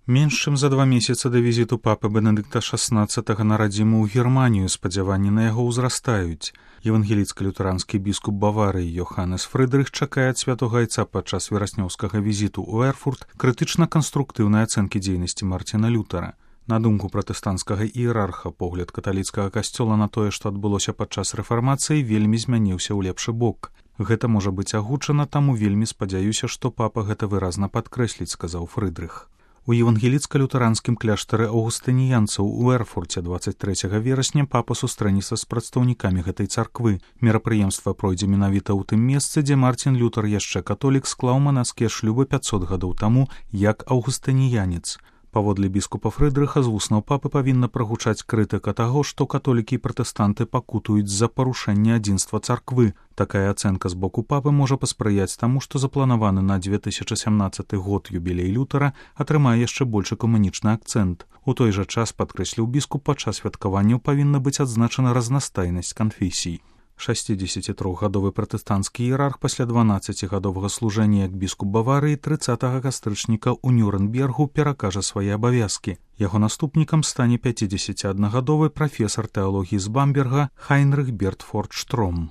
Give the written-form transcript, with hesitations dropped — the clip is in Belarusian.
Менш чым за 2 месяцы да візіту папы Бенедыкта XVI на радзіму ў Германію спадзяванні на яго ўзрастаюць. Евангеліцка-лютеранскі біскуп Баварыі Йоханнес Фрыдрых чакае ад святога айца падчас вераснёўскага візіту ў Эрфурт крытычна-канструктыўнай ацэнкі дзейнасці Марціна Лютара. На думку пратэстанцкага іерарха, погляд каталіцкага касцёла на тое, што адбылося падчас рэфармацыі, вельмі змяніўся ў лепшы бок. Гэта можа быць агучана, таму вельмі спадзяюся, што папа гэта выразна падкрэсліць, сказаў Фрыдрых. У евангеліцка-лютэранскім кляштары аўгустыніянцаў у Эрфурце 23 верасня папа сустрэнецца з прадстаўнікамі гэтай царквы. Мерапрыемства пройдзе менавіта ў тым месцы, дзе Марцін Лютар, яшчэ католік, склаў манаскія шлюбы 500 гадоў таму як аўгустыніянец. Паводле біскупа Фрыдрыха з вуснаў папы павінна прагучаць крытыка таго, што католікі і пратэстанты пакутуюць за парушэнне адзінства царквы. Такая ацэнка з боку папы можа паспрыяць таму, што запланаваны на 2017 год юбілей Лютара атрымае яшчэ больш экумэнічны акцэнт. У той жа час, падкрэсліў біскуп, падчас святкаванняў павінна быць адзначана разнастайнасць канфесій. 63-гадовы пратэстанцкі іерарх пасля 12-гадовага служэння як біскуп Баварыі 30 кастрычніка ў Нюрнбергу перакажа свае абавязкі. Яго наступнікам стане 51-гадовы прафесар тэалогіі з Бамберга Хайнрых Бертфорд Штром.